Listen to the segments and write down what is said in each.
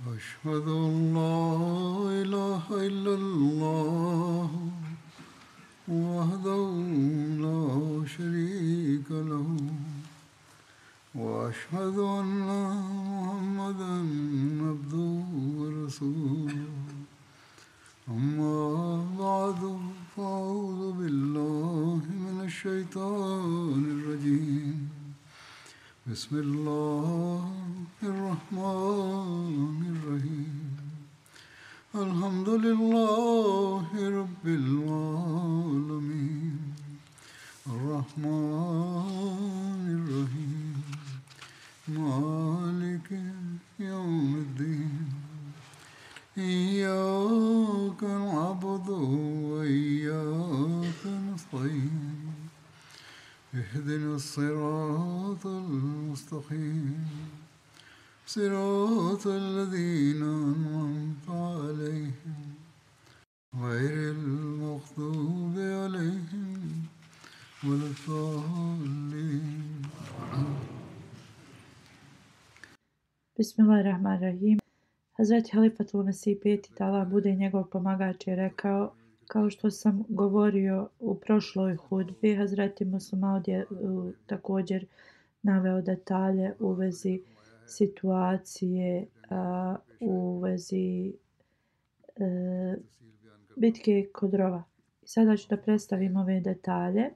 أشهد أن لا إله إلا الله وحده لا شريك له وأشهد أن محمدا عبده ورسوله أما بعد فأعوذ بالله من الشيطان الرجيم بسم الله الرحمن الرحيم الحمد لله رب العالمين الرحمن الرحيم مالك يوم الدين إياك نعبد وإياك نستعين اهدنا الصراط المستقيم صراط الذين أنعمت عليهم غير المغضوب عليهم ولا الضالين. Bismillahirrahmanirrahim. Hazreti Halifatul Mesih peti da Allah bude njegov pomagač je rekao: kao što sam govorio u prošloj hudbi, Hazreti Muslimaud je također naveo detalje u vezi situacije, u vezi bitke kod Rova. Sada ću da predstavim ove detalje.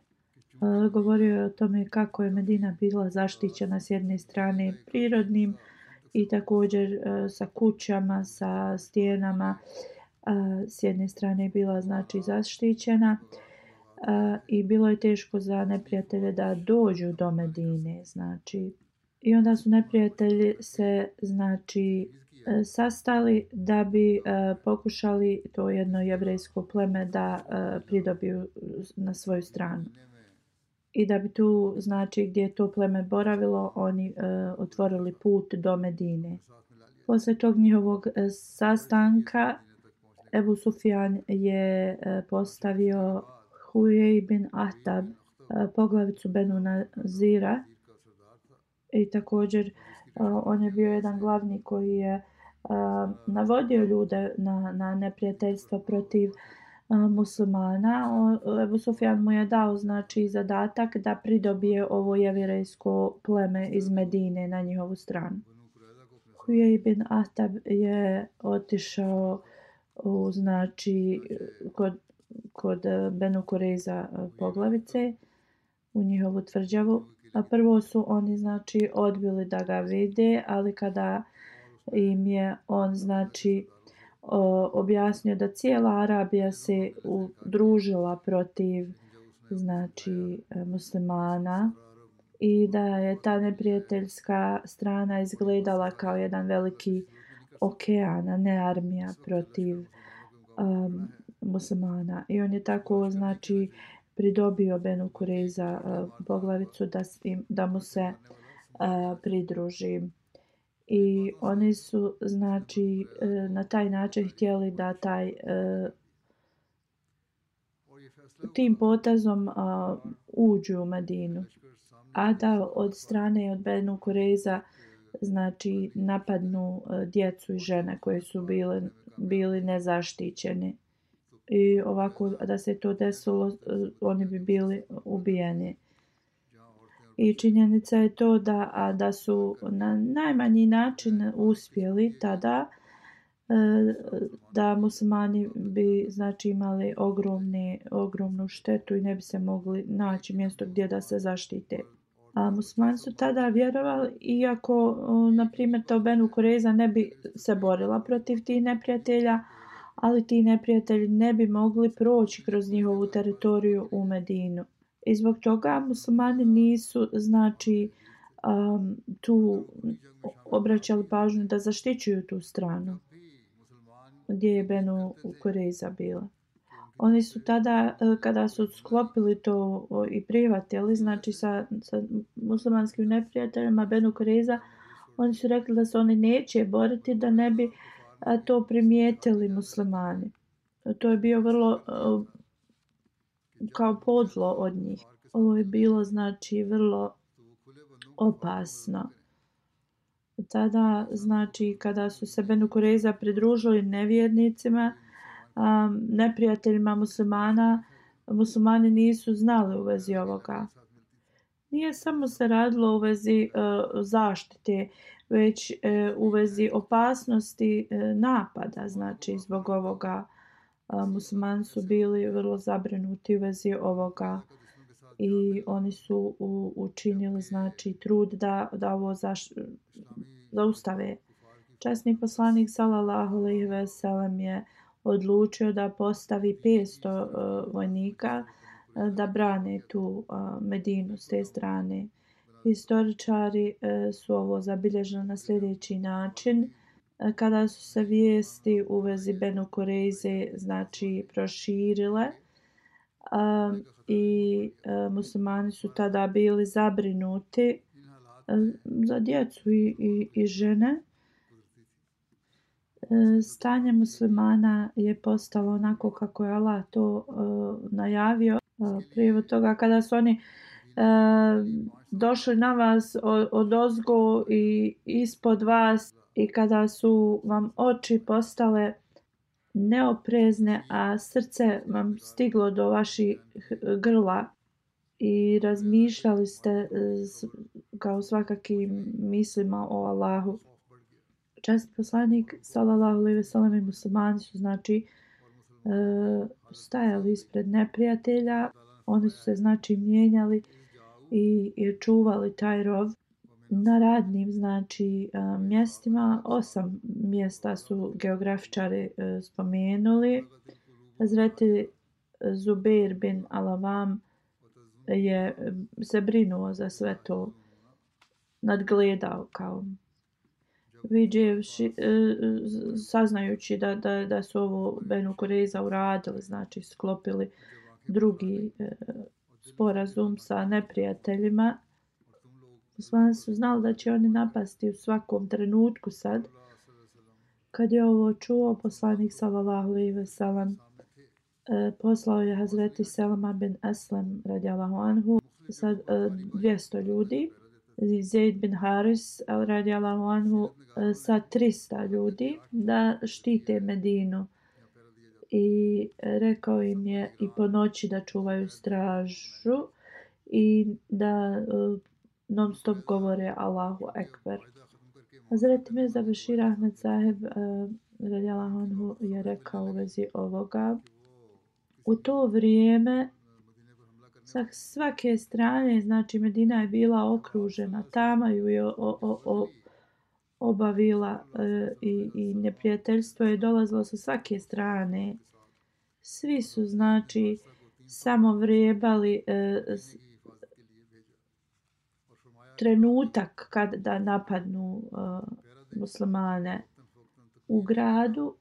Govorio je o tome kako je Medina bila zaštićena s jedne strane prirodnim i također sa kućama, sa stijenama. S jedne strane je bila znači zaštićena i bilo je teško za neprijatelje da dođu do Medine, znači. I onda su neprijatelji se znači sastali da bi pokušali to jedno jevrejsko pleme da pridobiju na svoju stranu. I da bi tu znači gdje je to pleme boravilo oni otvorili put do Medine. Posle tog njihovog sastanka Ebu Sufjan je postavio Hujej bin Ahtab, poglavicu Benu Nazira, i također on je bio jedan glavni koji je navodio ljude na neprijateljstvo protiv muslimana. Ebu Sufjan mu je dao znači zadatak da pridobije ovo jevrejsko pleme iz Medine na njihovu stranu. Hujej bin Ahtab je otišao znači kod Benu Kureza poglavice u njihovu tvrđavu. A prvo su oni znači odbili da ga vide, ali kada im je on znači objasnio da cijela Arabija se udružila protiv znači muslimana i da je ta neprijateljska strana izgledala kao jedan veliki okean, a ne armija protiv muslimana. I on je tako znači pridobio Benu Kureza poglavicu da mu se pridruži. I oni su znači na taj način htjeli da tim potezom uđu u Medinu, a da od strane od Benu Kureza znači napadnu djecu i žene koje su bili nezaštićeni. I ovako da se to desilo, oni bi bili ubijeni. I činjenica je to da su na najmanji način uspjeli tada, da muslimani bi znači imali ogromnu štetu i ne bi se mogli naći mjesto gdje da se zaštite. A muslimani su tada vjerovali, iako na primjer to Benu Kureza ne bi se borila protiv tih neprijatelja, ali ti neprijatelji ne bi mogli proći kroz njihovu teritoriju u Medinu. I zbog toga muslimani nisu znači tu obraćali pažnju da zaštićuju tu stranu gdje je Benu Kureza bila. Oni su tada, kada su sklopili to i prihvatili, znači sa muslimanskim neprijateljima Benu Kureza, oni su rekli da se oni neće boriti da ne bi to primijetili muslimani. To je bio vrlo kao podlo od njih. Ovo je bilo znači vrlo opasno. tada, znači, kada su se Benu Kurejza pridružili nevjernicima, neprijateljima muslimana, muslimani nisu znali u vezi ovoga. Nije samo se radilo u vezi zaštite, već u vezi opasnosti napada. Znači, zbog ovoga muslimani su bili vrlo zabrinuti u vezi ovoga i oni su učinili, znači, trud da ovo zaustave. Časni poslanik sallallahu alejhi ve sellem je odlučio da postavi 500 vojnika da brane tu Medinu s te strane. Historičari su ovo zabilježili na sljedeći način. Kada su se vijesti u vezi Benu Kurejze, znači, proširile i muslimani su tada bili zabrinuti za djecu i žene. Stanje muslimana je postalo onako kako je Allah to najavio. Prije toga kada su oni došli na vas odozgo i ispod vas i kada su vam oči postale neoprezne, a srce vam stiglo do vaših grla i razmišljali ste kao svakakim mislima o Allahu. Časni poslanik sallallahu alejhi ve sellem i muslimani su, znači, stajali ispred neprijatelja. Oni su se, znači, mijenjali i čuvali taj rov na radnim, znači, mjestima. 8 mjesta su geografičari spomenuli. Hazreti Zubair bin Al-Awam je se brinuo za sve to, nadgledao kao vidjevši, saznajući da su ovo Benu Kurejza uradili, znači sklopili drugi sporazum sa neprijateljima. Muslimani su znali da će oni napasti u svakom trenutku sad. Kad je ovo čuo, poslanik sallallahu alejhi ve sellem poslao je Hazreti Selma bin Eslem radijallahu anhu sa 200 ljudi, Zaid bin Haris radijallahu anhu sa 300 ljudi da štite Medinu. I rekao im je i po noći da čuvaju stražu i da non stop govore Allahu Ekber. Hazreti Mirza Bešir Ahmed Saheb radijallahu anhu je rekao u vezi ovoga: u to vrijeme sa svake strane, znači, Medina je bila okružena, tama ju je obavila i neprijateljstvo je dolazilo sa svake strane. Svi su, znači, samo vrebali trenutak kad da napadnu muslimane. U gradu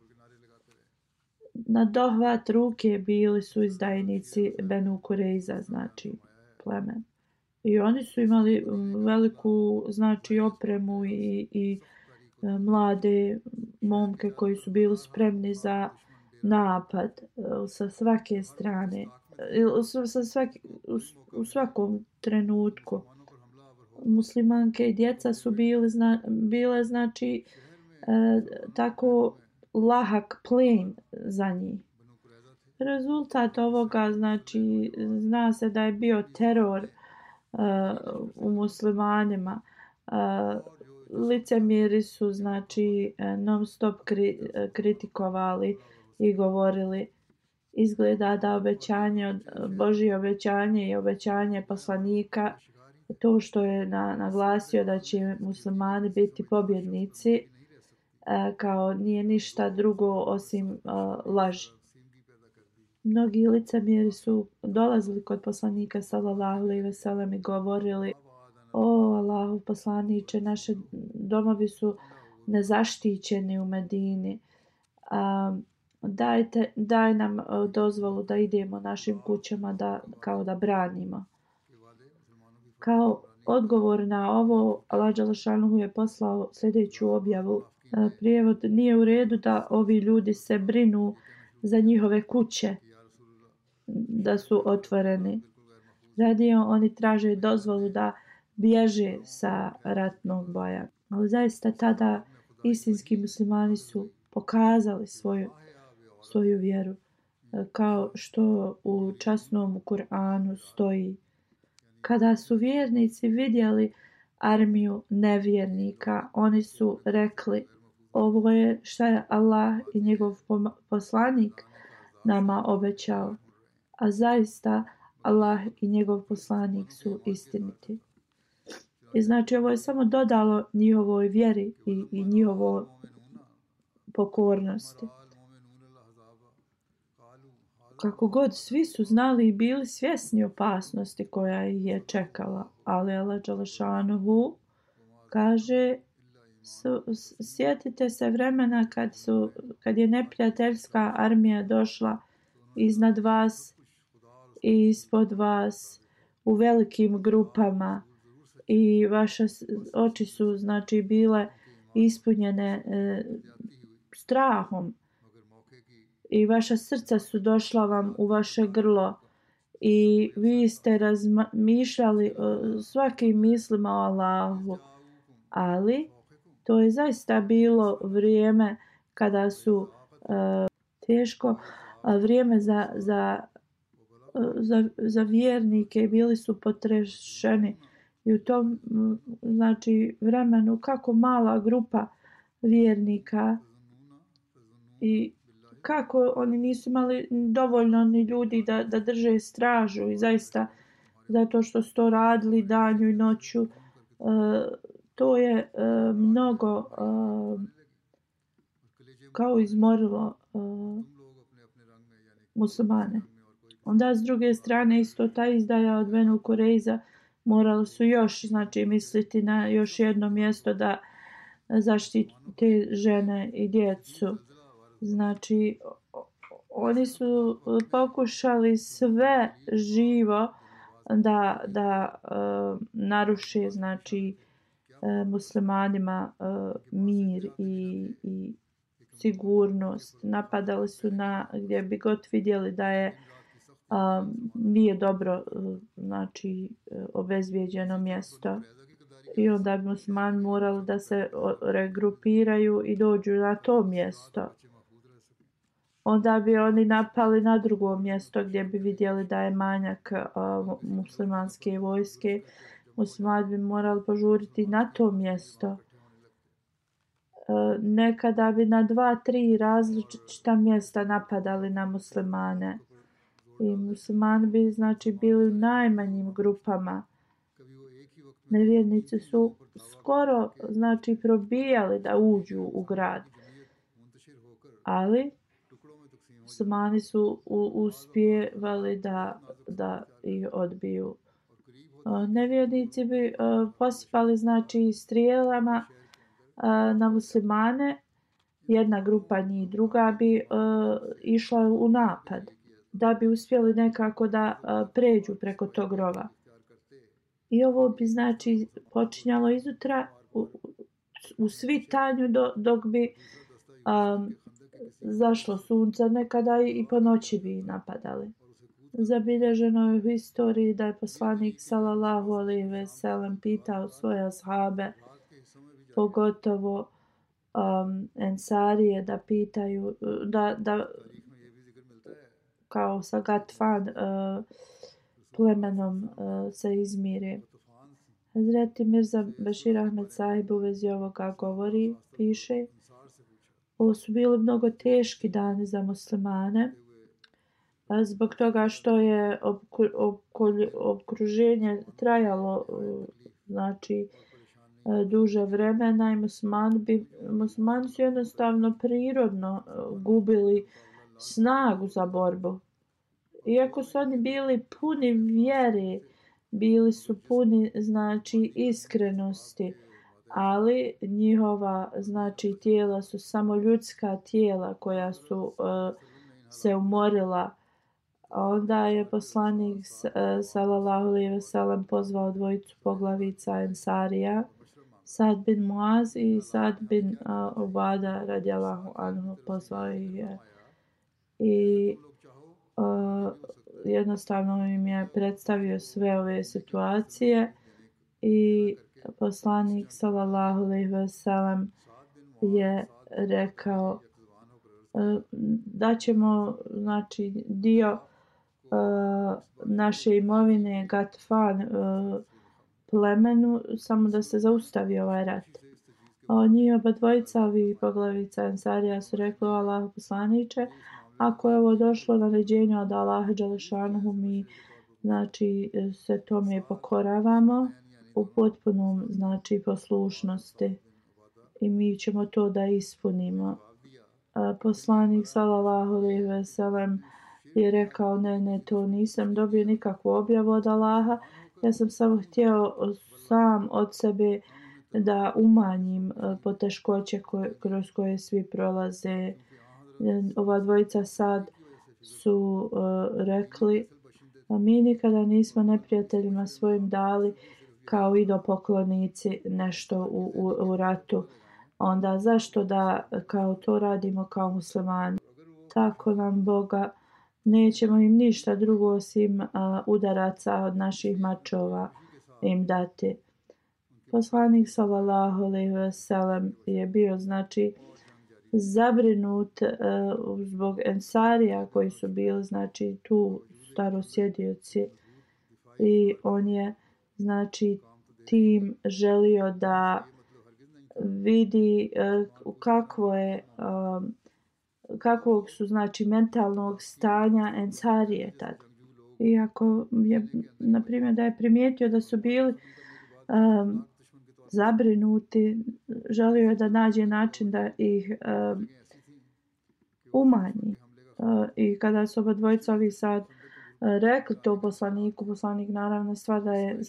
na dohvat ruke bili su izdajnici Benu Kurejza, znači pleme. I oni su imali veliku, znači, opremu i mlade momke koji su bili spremni za napad sa svake strane, u svakom trenutku. Muslimanke i djeca su bile, znači, tako lahak plen za njih. Rezultat ovoga, znači, zna se da je bio teror u muslimanima. Licemjeri su, znači, non stop kritikovali i govorili: izgleda da obećanje, Božje obećanje i obećanje poslanika, to što je naglasio da će muslimani biti pobjednici, kao nije ništa drugo osim laži. Mnogi licemjeri su dolazili kod poslanika sallallahu alejhi ve sellem i govorili: o Allahu poslaniče, naši domovi su nezaštićeni u Medini. Daj nam dozvolu da idemo našim kućama kao da branimo. Kao odgovor na ovo, Allah dželle šanuhu je poslao sljedeću objavu. Prijevod: nije u redu da ovi ljudi se brinu za njihove kuće da su otvoreni. Radije oni traže dozvolu da bježe sa ratnog boja. Ali zaista tada istinski muslimani su pokazali svoju vjeru. Kao što u časnom Kur'anu stoji: kada su vjernici vidjeli armiju nevjernika, oni su rekli: ovo je šta je Allah i njegov poslanik nama obećao. A zaista Allah i njegov poslanik su istiniti. I znači ovo je samo dodalo njihovoj vjeri i njihovoj pokornosti. Kako god, svi su znali i bili svjesni opasnosti koja ih je čekala, ali Allah dželešanuhu kaže: sjetite se vremena kad je neprijateljska armija došla iznad vas i ispod vas u velikim grupama i vaše oči su znači bile ispunjene strahom i vaša srca su došla vam u vaše grlo i vi ste razmišljali svakim mislima o Allahu, ali to je zaista bilo vrijeme kada su teško vrijeme za vjernike, bili su potrešeni i u tom znači vremenu kako mala grupa vjernika i kako oni nisu imali dovoljno ni ljudi da drže stražu i zaista zato što su to radili danju i noću, to je mnogo kao izmorilo muslimane. Onda s druge strane isto ta izdaja od Benu Kurejza morali su još znači misliti na još jedno mjesto da zaštite žene i djecu. Znači oni su pokušali sve živo da naruše znači muslimanima mir i sigurnost. Napadali su na gdje bi god vidjeli da je nije dobro znači obezbijeđeno mjesto. I onda bi muslimani morali da se regrupiraju i dođu na to mjesto. Onda bi oni napali na drugo mjesto gdje bi vidjeli da je manjak muslimanske vojske. Muslimani bi morali požuriti na to mjesto. Nekada bi na 2-3 različita mjesta napadali na muslimane. I muslimani bi znači bili u najmanjim grupama. Nevjernici su skoro znači probijali da uđu u grad. Ali muslimani su uspjevali da ih odbiju. Nevjernici bi posipali znači strijelama na muslimane. Jedna grupa njih, druga bi išla u napad da bi uspjeli nekako da pređu preko tog rova. I ovo bi znači počinjalo izutra u svitanju dok bi zašlo sunce, nekada i po noći bi napadali. Zabilježeno je u historiji da je poslanik sallallahu alejhi ve sellem pitao svoje ashabe, pogotovo ensarije, da pitaju da kao sa Gatfan plemenom se izmire. Hazreti Mirza Bešir Ahmed Sahib u vezi ovoga govori, piše: ovo su bili mnogo teški dani za muslimane zbog toga što je okruženje trajalo znači duže vremena i muslimani su jednostavno prirodno gubili snagu za borbu. Iako su oni bili puni vjere, bili su puni znači iskrenosti, ali njihova znači tijela su samo ljudska tijela koja su se umorila. Onda je poslanik sallallahu alejhi ve sellem pozvao dvojicu poglavica ensarija, Sad bin Muaz i Sad bin Ubada radijallahu anhu, pozvao ih je. I jednostavno im je predstavio sve ove situacije i poslanik sallallahu alejhi ve sellem je rekao da ćemo znači dio naše imovine Gatfan plemenu samo da se zaustavi ovaj rat. Njih oba dvojica ovih poglavica Ensarija su rekli: Allahu poslaniče, ako je ovo došlo naređenje od Allaha dželešanuhu, mi znači se tome pokoravamo u potpunom znači poslušnosti i mi ćemo to da ispunimo. Poslanik sallallahu alejhi ve sellem je rekao: ne, to nisam dobio nikakvu objavu od Allaha, ja sam samo htio sam od sebe da umanjim poteškoće kroz koje svi prolaze. Ova dvojica sad su rekli: mi nikada nismo neprijateljima svojim dali kao idolopoklonici nešto u ratu. Onda zašto da kao to radimo kao muslimani? Tako nam Boga, nećemo im ništa drugo osim udaraca od naših mačova im dati. Poslanik sallallahu alejhi ve sellem je bio znači zabrinut zbog Ensarija koji su bili znači tu starosjedioci i on je znači tim želio da vidi kakvog su znači mentalnog stanja Ensarije tad. Iako je na primjer da je primijetio da su bili zabrinuti, želio je da nađe način da ih umanji. I kada su oba dvojica ovi sad rekli to poslaniku, poslanik naravno stvar da je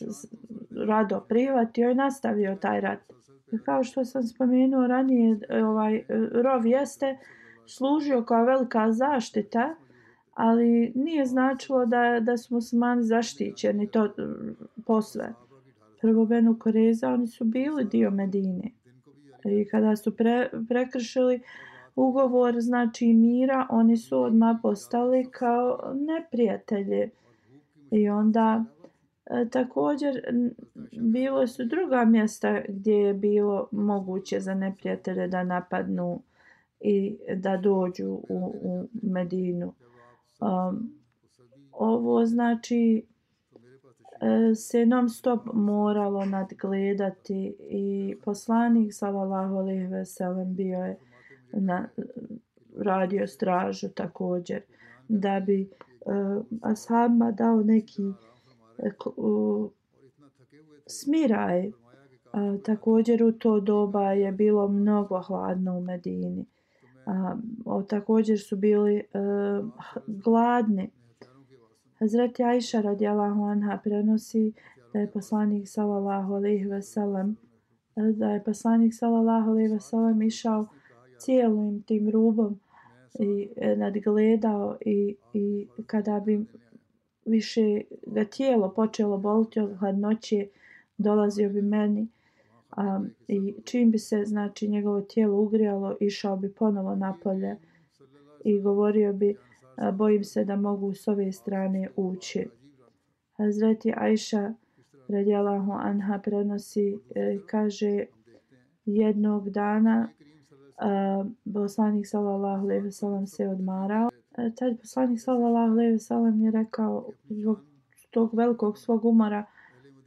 rado prihvatio i nastavio taj rat. I kao što sam spomenuo ranije, ovaj rov jeste služio kao velika zaštita, ali nije značilo da su muslimani zaštićeni to posve. Prvo Benu Kureza, oni su bili dio Medine. I kada su prekršili ugovor znači mira, oni su odmah postali kao neprijatelji. I onda također bilo su druga mjesta gdje je bilo moguće za neprijatelje da napadnu i da dođu u Medinu. Ovo znači se non stop moralo nadgledati i poslanik sallallahu alejhi ve sellem bio je radio stražu također da bi ashabima dao neki smiraj. Također u to doba je bilo mnogo hladno u Medini. Također su bili gladni. Hazreti Ajša radijallahu anha prenosi da je poslanik sallallahu alejhi ve sellem išao cijelim tim rubom i nadgledao i kada bi više ga tijelo počelo boliti od hladnoće, dolazio bi meni i čim bi se znači njegovo tijelo ugrijalo, išao bi ponovo napolje i govorio bi: bojim se da mogu s ove strane ući. Hazreti Ajša radijallahu anha prenosi, kaže: jednog dana poslanik sallallahu alejhi ve sellem se odmarao. Tad poslanik sallallahu alejhi ve sellem je rekao zbog tog velikog svog umora,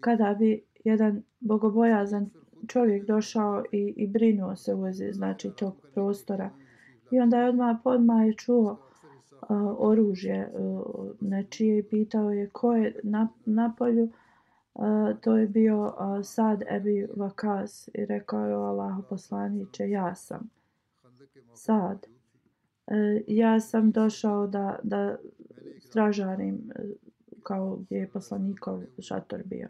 kada bi jedan bogobojazan čovjek došao i brinuo se u vezi znači tog prostora. I onda je odmah je čuo oružje nečije i pitao je ko je na polju. To je bio Sad Ebi Vakas i rekao je: Allahu poslaniče, ja sam Sad. Ja sam došao da stražarim kao gdje je poslanikov šator bio.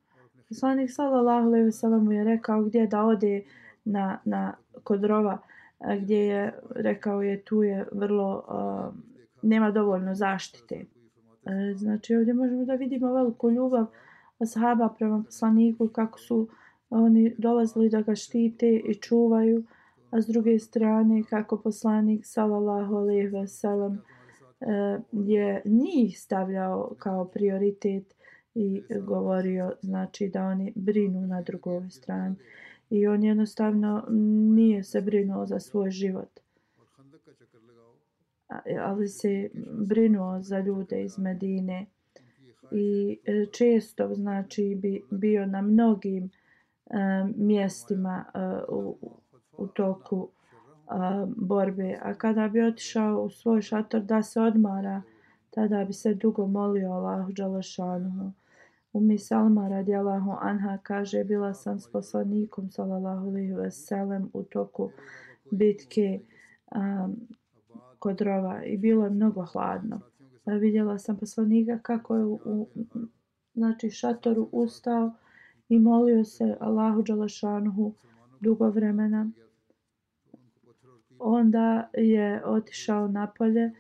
Poslanik sallallahu alejhi ve sellem mu je rekao gdje da ode kod rova, gdje je rekao je tu je vrlo nema dovoljno zaštite. Znači ovdje možemo da vidimo veliku ljubav ashaba prema poslaniku, kako su oni dolazili da ga štite i čuvaju, a s druge strane kako poslanik sallallahu alejhi ve sellem je njih stavljao kao prioritet i govorio znači da oni brinu na drugoj strani. I on jednostavno nije se brinuo za svoj život, ali se brinuo za ljude iz Medine i često znači bi bio na mnogim mjestima u toku borbe, a kada bi otišao u svoj šator da se odmara, tada bi se dugo molio Allahu dželešanuhu. Salma radijallahu anha kaže, bila sam s poslanikom sallallahu alejhi ve sellem u toku bitke kod rova i bilo je mnogo hladno. Vidjela sam poslanika kako je u znači šatoru ustao i molio se Allahu dželešanuhu dugo vremena. Onda je otišao napolje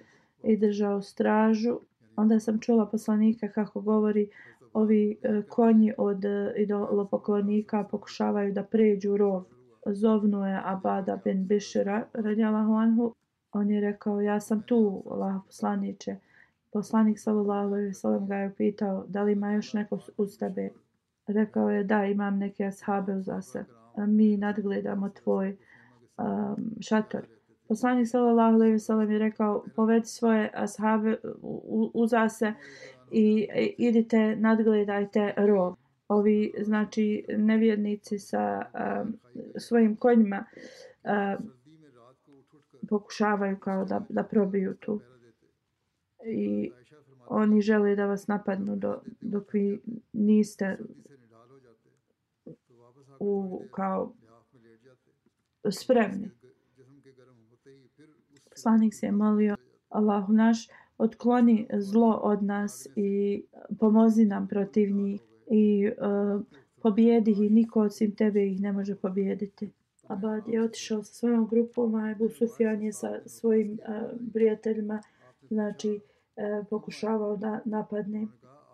i držao stražu. Onda sam čula poslanika kako govori, ovi konji od idolopoklonika pokušavaju da pređu rov. Zovnuo je Abada bin Bišira radijallahu anhu. On je rekao, ja sam tu, Allahov poslaniče. Poslanik sallallahu alejhi ve sellem ga je pitao, da li ima još neko uz tebe? Rekao je, da, imam neke ashabe uza se. Mi nadgledamo tvoj šator. Poslanik sallallahu alejhi ve sellem je rekao, povedi svoje ashabe uza se i idite, nadgledajte rov. Ovi znači nevjernici sa svojim konjima pokušavaju kao da probiju tu. I oni žele da vas napadnu dok vi niste kao spremni. Poslanik se je molio, Allahu naš, otkloni zlo od nas i pomozi nam protiv njih i pobijedi ih, niko osim tebe ih ne može pobijediti. Abad je otišao sa svojom grupom, a Ebu Sufjan je sa svojim prijateljima znači pokušavao da napadne.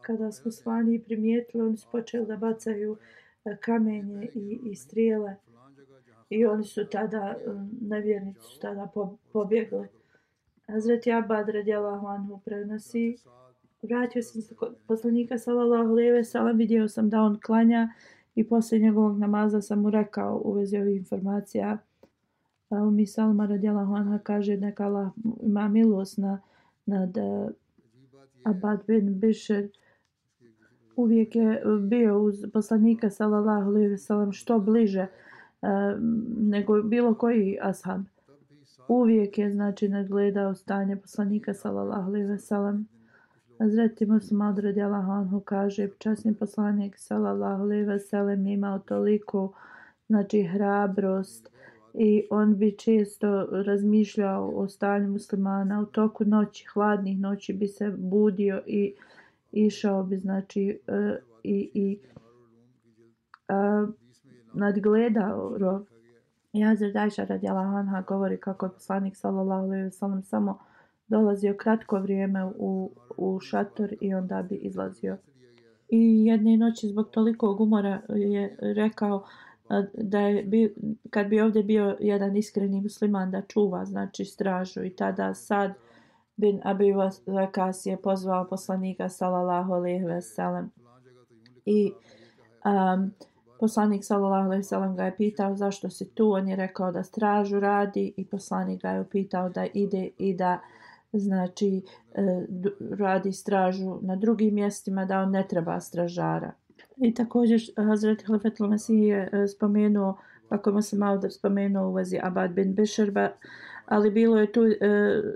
Kada smo slani primijetili, oni su počeli da bacaju kamenje i strijele i oni su tada, nevjernici su tada pobjegli. Hazreti Abad radijallahu anhu prenosi, vratio sam se kod poslanika sallallahu alejhi ve sellem, vidio sam da on klanja i poslije njegovog namaza sam mu rekao u vezi ovih informacija. Salma radijallahu anha kaže, neka Allah ima milost nad Abad bin Bišr. Uvijek je bio uz poslanika sallallahu alejhi ve sellem što bliže nego bilo koji ashab. Uvijek je znači nadgledao stanje poslanika sallallahu alejhi ve sellem. Hazreti Mus'ab radijallahu anhu kaže, časni poslanik sallallahu alejhi ve sellem je imao toliko znači hrabrost i on bi često razmišljao o stanju muslimana. U toku noći, hladnih noći bi se budio i išao bi znači nadgledao rov. I Hazret Ajša radijallahu anha govori kako je poslanik sallallahu alejhi ve sellem samo dolazio kratko vrijeme u šator i onda bi izlazio. I jedne noći zbog tolikog umora je rekao da je kad bi ovdje bio jedan iskreni musliman da čuva znači stražu, i tada Sad bin Abi Waqas je pozvao poslanika sallallahu alejhi ve sellem i poslanik sallallahu alejhi ve sellem ga je pitao zašto si tu. On je rekao da stražu radi i poslanik ga je upitao da ide i da znači radi stražu na drugim mjestima, da on ne treba stražara. I također Hazret Halifetul Mesih je spomenuo, kako mu se malo spomenuo u vezi Abad bin Bišr, ali bilo je tu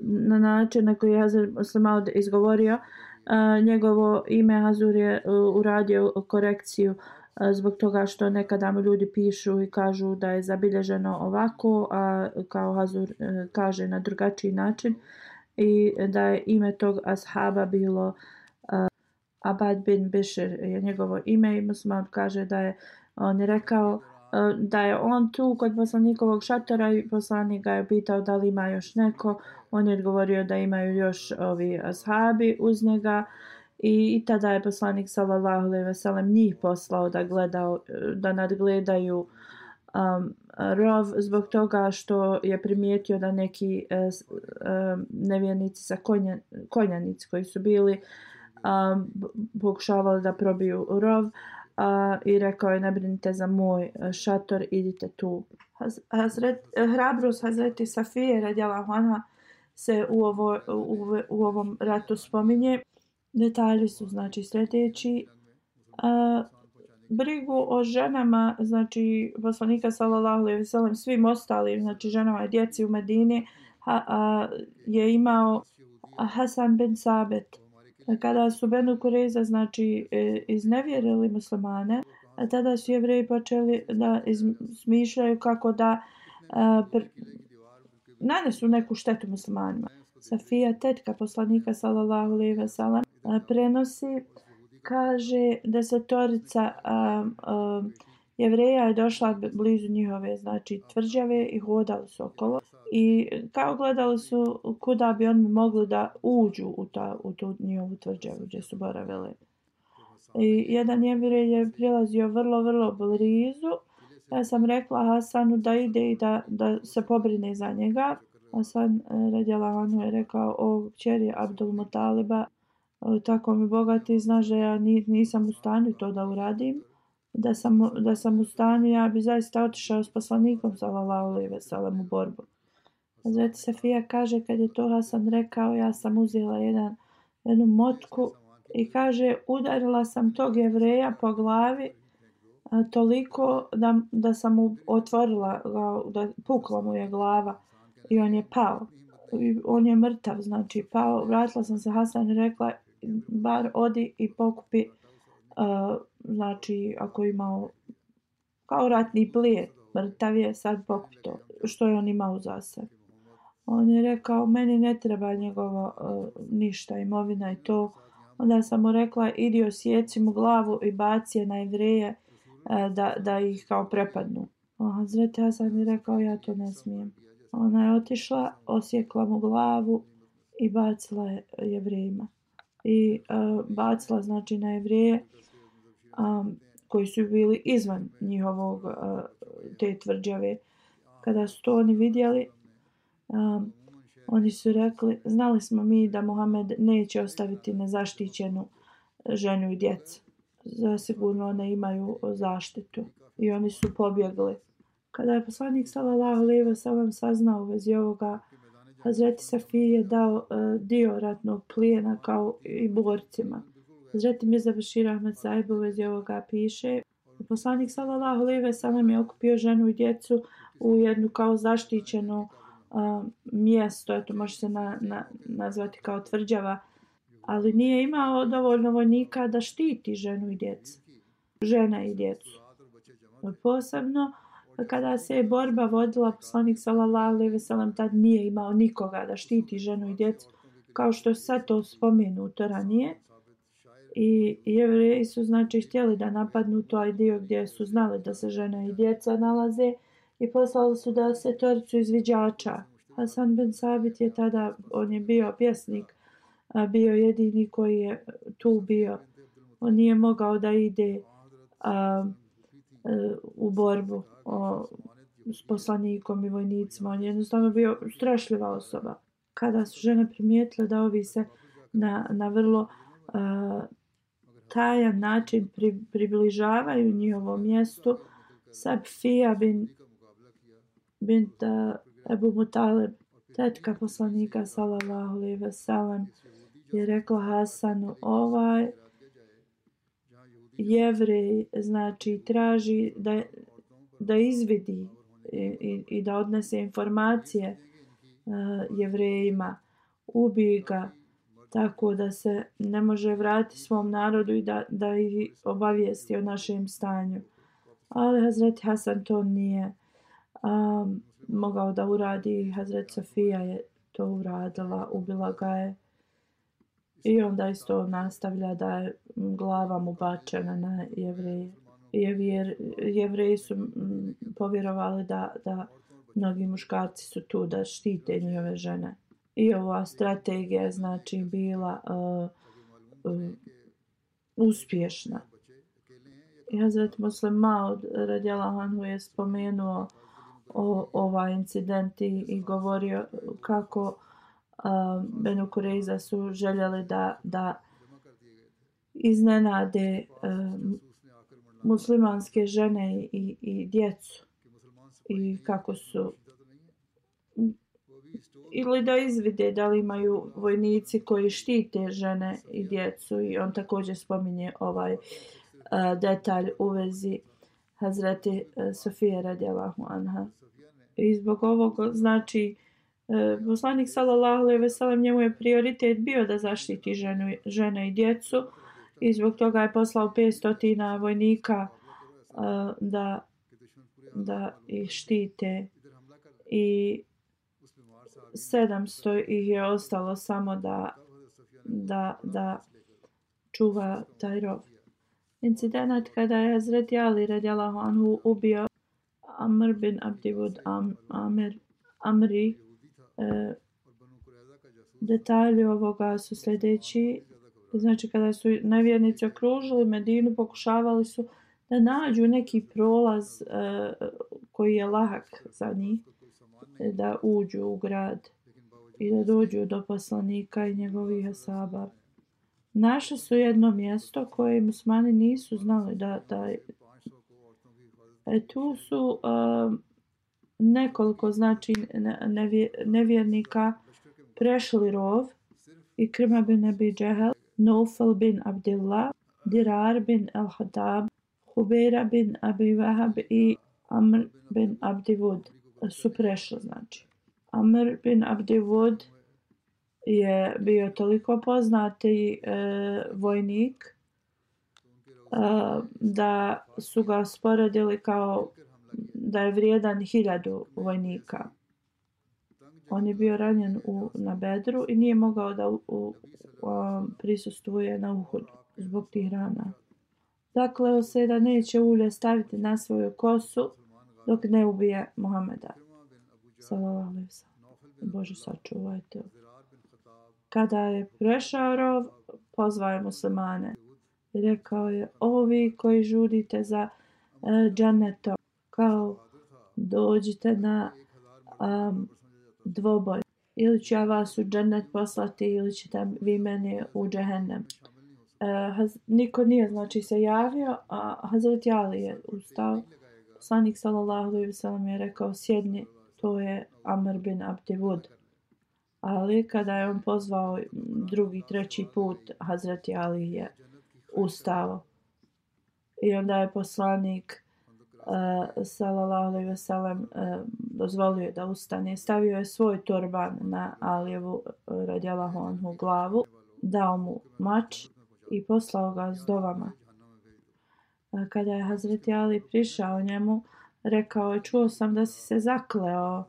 na način na koji je Hazret Maud izgovorio njegovo ime. Hazur je uradio korekciju zbog toga što nekada mu ljudi pišu i kažu da je zabilježeno ovako, a kao Hazur kaže na drugačiji način, i da je ime tog ashaba bilo Abad bin Bišr je njegovo ime. I Mus'ab kaže da je on je rekao da je on tu kod poslanikovog šatora i poslanik ga je pitao da li ima još neko. On je odgovorio da imaju još ovi ashabi uz njega, i tada je poslanik sallallahu alejhi ve sellem njih poslao da nadgledaju rov, zbog toga što je primijetio da neki nevjernici sa konjanici koji su bili pokušavali da probiju rov i rekao je ne brinite za moj šator, idite tu. Hrabrost Hazreti Safije radijallahu anha se u ovom ratu spominje. Detalji su znači sljedeći. Brigu o ženama, znači poslanika sallallahu alejhi ve sellem, svim ostalim, znači ženama i djeci u Medini je imao Hasan bin Sabit. Kada su Benu Kurejza znači iznevjerili muslimane, tada su Jevreji počeli da smišljaju kako da nanesu neku štetu muslimanima. Safija, tetka poslanika sallallahu alejhi ve sellem, prenosi, kaže da desetorica Jevreja je došla blizu njihove znači tvrđave i hodali su okolo i kao gledali su kuda bi oni mogli da uđu u tu njihovu tvrđavu gdje su boravili. I jedan Jevrej je prilazio vrlo blizu. Ja sam rekla Hasanu da ide i da se pobrine za njega. Hasan radijallahu anhu je rekao: o kćeri Abdul Mutaliba, tako mi bogati, znaš da ja nisam u stanju to da uradim. Da sam u stanju, ja bi zaista otišao s poslanikom sallallahu alejhi ve sellem u borbu. Hazreti Safija kaže kad je to Hasan rekao, ja sam uzela jednu motku i kaže udarila sam tog Jevreja po glavi toliko da sam mu otvorila, da pukla mu je glava i on je pao. On je mrtav, znači pao. Vratila sam se Hasan i rekla bar odi i pokupi znači ako je imao kao ratni plijen, mrtav je, sad pokupi to što je on imao za sebe. On je rekao meni ne treba njegovo ništa, imovina i to. Onda sam mu rekla idi osjeci mu glavu i baci je na Jevreje da ih kao prepadnu. Hazreti Hasan je rekao ja to ne smijem. Ona je otišla, osjekla mu glavu i bacila je Jevrejima. I bacila znači na Jevreje koji su bili izvan njihovog te tvrđave. Kada su to oni vidjeli, oni su rekli znali smo mi da Muhammed neće ostaviti nezaštićenu ženu i djecu. Zasigurno one imaju zaštitu. I oni su pobjegli. Kada je poslanik sallallahu alejhi ve sellem saznao u vezi ovoga, Hazreti Safiji je dao dio ratnog plijena kao i borcima. Hazreti Mirza Bešir Ahmed Sahib u vezi ovoga piše: poslanik sallallahu alejhi ve sellem je okupio ženu i djecu u jednu kao zaštićeno mjesto, eto može se nazvati kao tvrđava, ali nije imao dovoljno vojnika da štiti ženu i djecu. Žena i djecu. Posebno kada se je borba vodila, poslanik sallallahu alejhi ve sellem tad nije imao nikoga da štiti ženu i djecu, kao što je sad to spomenuto ranije. I Jevreji su znači htjeli da napadnu taj dio gdje su znali da se žena i djeca nalaze i poslali su da se toricu izviđača. Hasan bin Sabit je tada, on je bio pjesnik, bio jedini koji je tu bio. On nije mogao da ide u borbu s poslanikom i vojnicima. On je jednostavno bio strašljiva osoba. Kada su žene primijetile da ovi se na vrlo tajan način približavaju njihovom mjestu, Safija bint Ebu Mutalib, tetka poslanika sallallahu alejhi ve sellem, je rekla Hasanu: ovaj Jevrej znači traži da izvidi i da odnese informacije Jevrejima, ubij ga tako da se ne može vratiti svom narodu i da ih obavijesti o našem stanju. Ali Hazreti Hasan to nije mogao da uradi. Hazreti Safija je to uradila, ubila ga je. I onda isto nastavlja da je glava mu bačena na Jevreje. Jevreji su povjerovali da mnogi muškarci su tu da štite njihove žene. I ova strategija je znači bila uspješna. I Hazret Muslim Maud radijallahu anhu je spomenuo ovaj incident i govorio kako Benu Kurejza su željeli da iznenade muslimanske žene i djecu i kako su ili da izvide da li imaju vojnici koji štite žene i djecu i on također spominje ovaj detalj u vezi Hazreti Sofije radijallahu anha. I zbog ovog znači poslanik sallallahu alejhi ve sellem njemu je prioritet bio da zaštiti žene i djecu i zbog toga je poslao 500 vojnika da ih štite i 700 ih je ostalo samo da čuva taj rov. Incident kada je Hazreti Ali radijallahu anhu ubio Amr bin Abdivud Amri, detalji ovoga su sljedeći. Znači kada su nevjernici okružili Medinu, pokušavali su da nađu neki prolaz koji je lahak za njih, da uđu u grad i da dođu do poslanika i njegovih ashaba. Našli su jedno mjesto koje muslimani nisu znali da tu su nekoliko znači nevjernika prešli rov i Krima bin Abi Džehel, Naufal bin Abdillah, Dirar bin al-Hatab, Hubeira bin Abi Wahab i Amr bin Abdivud su prešli znači. Amr bin Abdivud je bio toliko poznati vojnik da su ga sporedili kao da je vrijedan 1000 vojnika. On je bio ranjen na Bedru i nije mogao da prisustvuje na Uhudu zbog tih rana. Zakleo se da neće ulje staviti na svoju kosu dok ne ubije Muhameda. Sallallahu alejhi ve sellem. Bože sačuvajte. Kada je prešao rov, pozvao je muslimane i rekao je: ovi koji žudite za džennetom, kao dođite na dvoboj. Ili ću ja vas u džennet poslati ili ćete vi meni u džehennem. Niko nije znači se javio, a Hazreti Ali je ustao. Poslanik sallallahu alejhi ve sellem je rekao: sjedni, to je Amr bin Abdivud. Ali kada je on pozvao drugi, treći put, Hazreti Ali je ustao. I onda je poslanik sallallahu alejhi ve sellem dozvolio da ustane. Stavio je svoj turban na Alijevu radijallahu anhu glavu, dao mu mač i poslao ga s dovama. Kada je Hazreti Ali prišao njemu, rekao je: čuo sam da si se zakleo.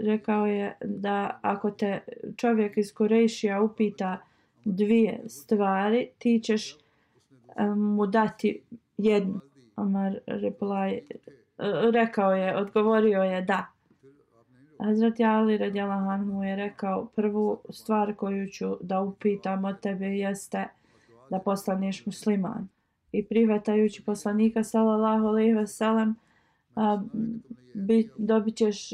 Rekao je da ako te čovjek iz Kurejšija upita 2 stvari, ti ćeš mu dati jednu. Amar odgovorio je da. Hazreti Ali radijallahu anhu je rekao: prvu stvar koju ću da upitam od tebe jeste da postaneš musliman. I prihvatajući poslanika sallallahu alejhi ve sellem dobit ćeš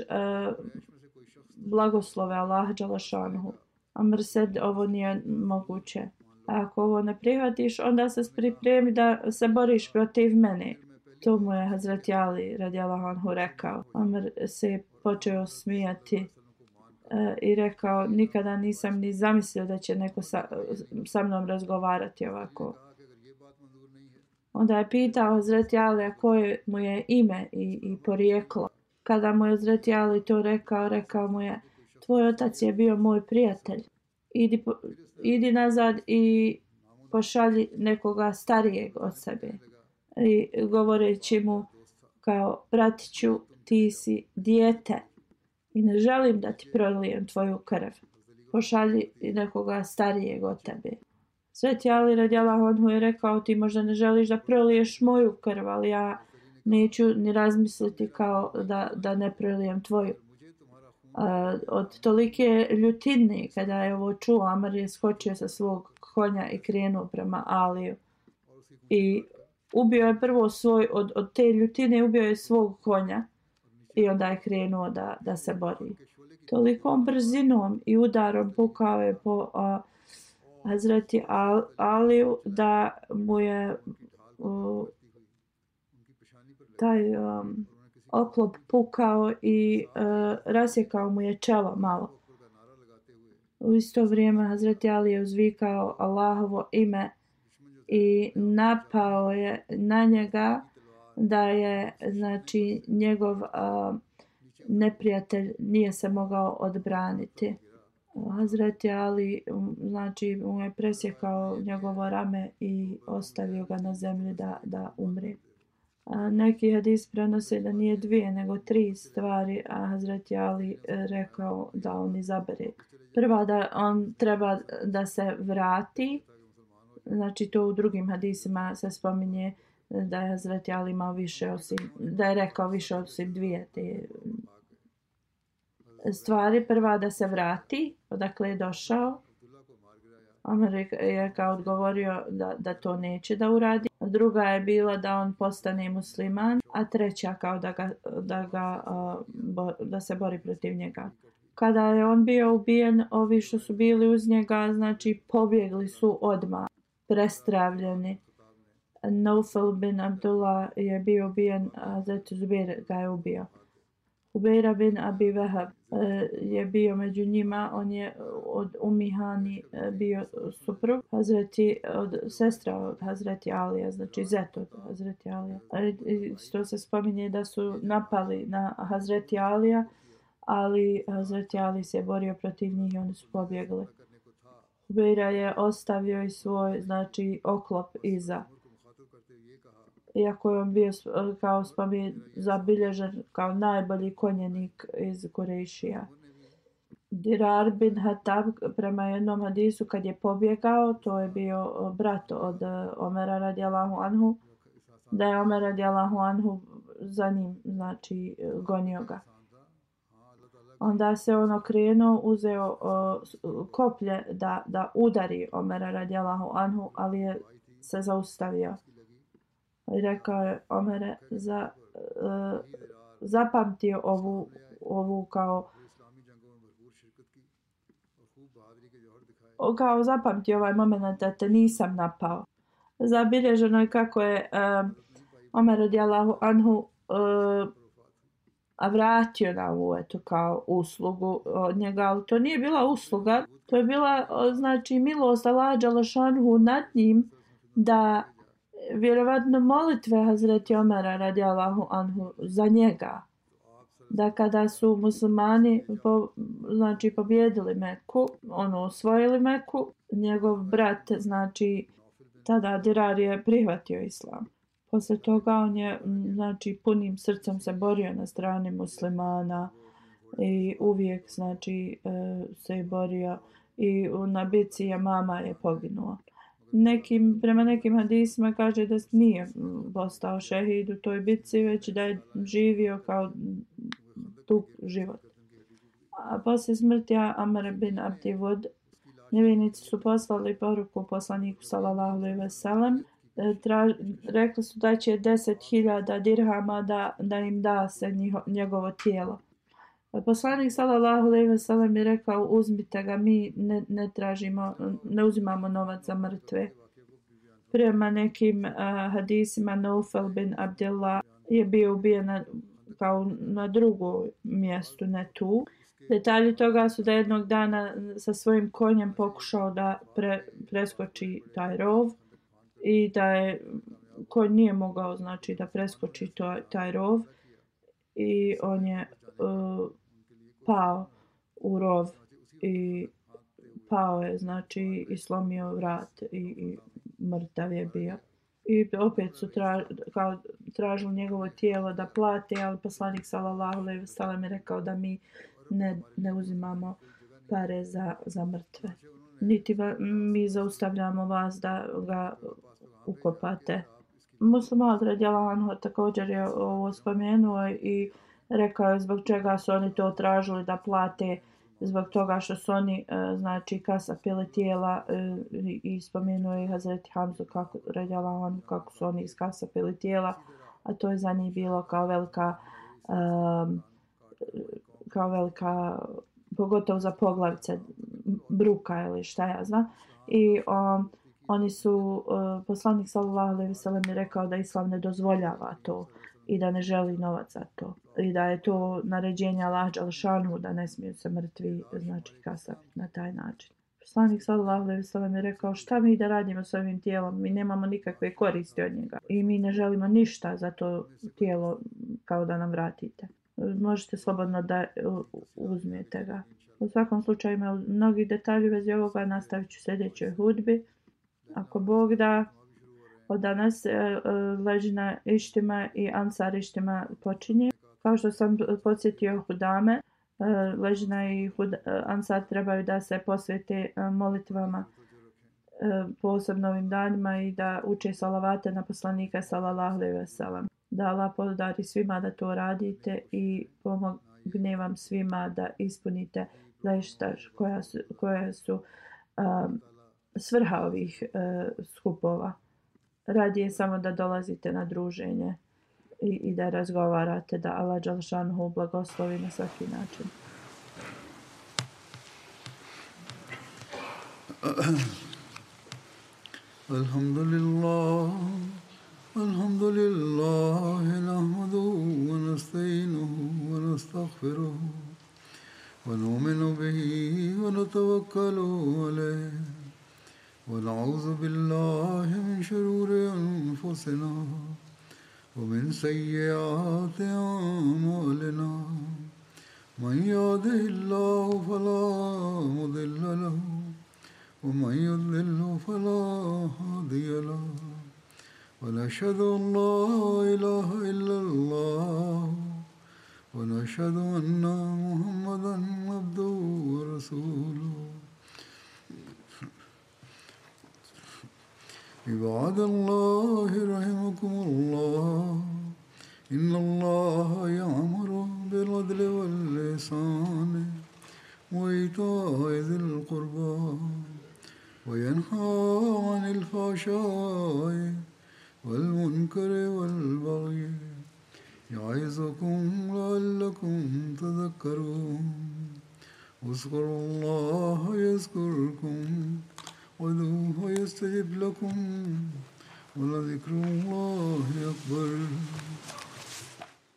blagoslove Allaha dželešanuhu. Amr said: ovo nije moguće. Ako ovo ne prihvatiš, onda se pripremi da se boriš protiv mene. To mu je Hazreti Ali radijallahu anhu rekao. Amr se počeo smijati i rekao: nikada nisam ni zamislio da će neko sa mnom razgovarati ovako. Onda je pitao Hazreti Ali koje mu je ime i porijeklo. Kada mu je Hazreti Ali to rekao mu je: tvoj otac je bio moj prijatelj. Idi nazad i pošalji nekoga starijeg od sebe. I govoreći mu kao: bratiću, ti si dijete i ne želim da ti prolijem tvoju krv. Pošalji nekoga starijeg od tebe. Sveti Ali radijallahu anhu je rekao: ti možda ne želiš da proliješ moju krv, ali ja neću ni razmisliti kao da ne prolijem tvoju. Od tolike ljutine kada je ovo čuo, Amr je skočio sa svog konja i krenuo prema Aliju. I ubio je prvo od te ljutine ubio je svog konja i onda je krenuo da se bori. Tolikom brzinom i udarom pukao je po Hazreti Aliju da mu je taj oklop pukao i rasjekao mu je čelo malo. U isto vrijeme Hazreti Ali je uzvikao Allahovo ime i napao je na njega da je znači njegov neprijatelj nije se mogao odbraniti. Hazreti Ali znači mu je presjekao njegovo rame i ostavio ga na zemlji da umre. Neki hadis prenose da nije 2 nego 3 stvari, a Hazreti Ali rekao da on izabere. Prva da on treba da se vrati, znači to u drugim hadisima se spominje da je Hazreti Ali imao više osim, da je rekao više osim 2 te stvari. Prva da se vrati, odakle je došao. Omer je kao odgovorio da to neće da uradi. Druga je bila da on postane musliman, a treća kao da se bori protiv njega. Kada je on bio ubijen, ovi što su bili uz njega, znači pobjegli su odmah, prestravljeni. Naufal bin Abdullah je bio ubijen, a Hazreti Zubair ga je ubio. Ubeira bin Abi Wahab je bio među njima, on je od Umihani bio suprug sestra od Hazreti Alija, znači zet od Hazreti Alija. Što se spominje da su napali na Hazreti Alija, ali Hazreti Ali se borio protiv njih i oni su pobjegli. Ubeira je ostavio i svoj znači oklop iza. Iako je on bio kao zabilježen kao najbolji konjenik iz Kurejšija. Dirar bin Hatab prema jednom hadisu kad je pobjegao, to je bio brat od Omera radijallahu anhu, da je Omer radijallahu anhu za njim znači gonio ga. Onda se on okrenuo, uzeo koplje da udari Omera radijallahu anhu, ali je se zaustavio. I rekao je Omere zapamtio ovu kao zapamtio ovaj moment da te nisam napao. Zabilježeno je kako je Omer radijallahu anhu vratio na ovu kao uslugu od njega, ali to nije bila usluga, to je bila znači milost Allaha dželešanu nad njim da vjerovatno molitve Hazreti Omera radijallahu anhu za njega, da kada su muslimani znači pobjedili Meku, osvojili Meku, njegov brat znači tada Dirar je prihvatio islam. Posle toga on je znači punim srcem se borio na strani muslimana i uvijek znači se borio i na bici Jamama je poginuo. Prema nekim hadisima kaže da nije postao šehid u toj bitci, već da je živio kao dug život. A poslije smrti Amr bin Abdi Wud, nevjernici su poslali poruku poslaniku sallallahu alejhi ve sellem. Rekli su da će 10.000 dirhama da im da se njegovo tijelo. Poslanik sallallahu alejhi ve sellem je rekao uzmite ga, mi ne uzimamo novac za mrtve. Prema nekim hadisima Naufal bin Abdullah je bio ubijen kao na drugom mjestu, ne tu. Detalji toga su da jednog dana sa svojim konjem pokušao da preskoči taj rov i da je konj nije mogao znači da preskoči taj rov i on je pao u rov i pao je znači i slomio vrat i mrtav je bio. I opet su tražili njegovo tijelo da plate, ali poslanik sallallahu alejhi ve sellem je rekao da mi ne uzimamo pare za mrtve. Niti mi zaustavljamo vas da ga ukopate. Muslim radijallahu anhu također je ovo spomenuo i rekao je zbog čega su oni to tražili da plate, zbog toga što su oni znači kasapili tijela i spomenuo je Hazreti Hamzu radijallahu anhu kako su oni iskasapili tijela, a to je za njih bilo kao velika pogotovo za poglavice bruka ili šta ja znam. i oni su, poslanik sallallahu alejhi ve sellem je rekao da islam ne dozvoljava to i da ne želi novac za to i da je to naređenje Allaha dželle šanuhu da ne smiju se mrtvi znači kasapiti na taj način. Poslanik sallallahu alejhi ve sellem je rekao šta mi da radimo s ovim tijelom, mi nemamo nikakve koristi od njega i mi ne želimo ništa za to tijelo kao da nam vratite. Možete slobodno da uzmete ga. U svakom slučaju ima mnogi detalji u vezi ovoga, nastavit ću sljedećoj hudbi. Ako Bog da, od danas ležina ištima i ansar ištima počinje. Kao što sam podsjetio hudame, ležina i ansar trebaju da se posvete molitvama posebno ovim danima i da uče salavate na poslanika sallallahu alejhi ve sellem. Da Allah podari svima da to radite i pomogne vam svima da ispunite zaista koja su svrha ovih skupova. Radi je samo da dolazite na druženje i da razgovarate, da Allah dželle šanuhu blagoslovi na svaki način. Alhamdulillah, alhamdulillah, nahmaduhu wa nasta'inuhu wa nastaghfiruhu wa nu'minu bihi wa natawakkalu alayhi wa na'udhu billahi min shururi anfusina wa min sayyiati a'malina. Man yahdihillahu fala mudilla lahu ومن يضلل فلا هادي له ونشهد أن لا إله إلا الله ونشهد أن محمدا عبده ورسوله عباد الله رحمكم الله إن الله يأمر بالعدل والإحسان وإيتاء ذي القربى وينهى عن الفحشاء والمنكر والبغي يعظكم لعلكم تذكرون اذكروا الله يذكركم وادعوه يستجب لكم ولذكر الله أكبر.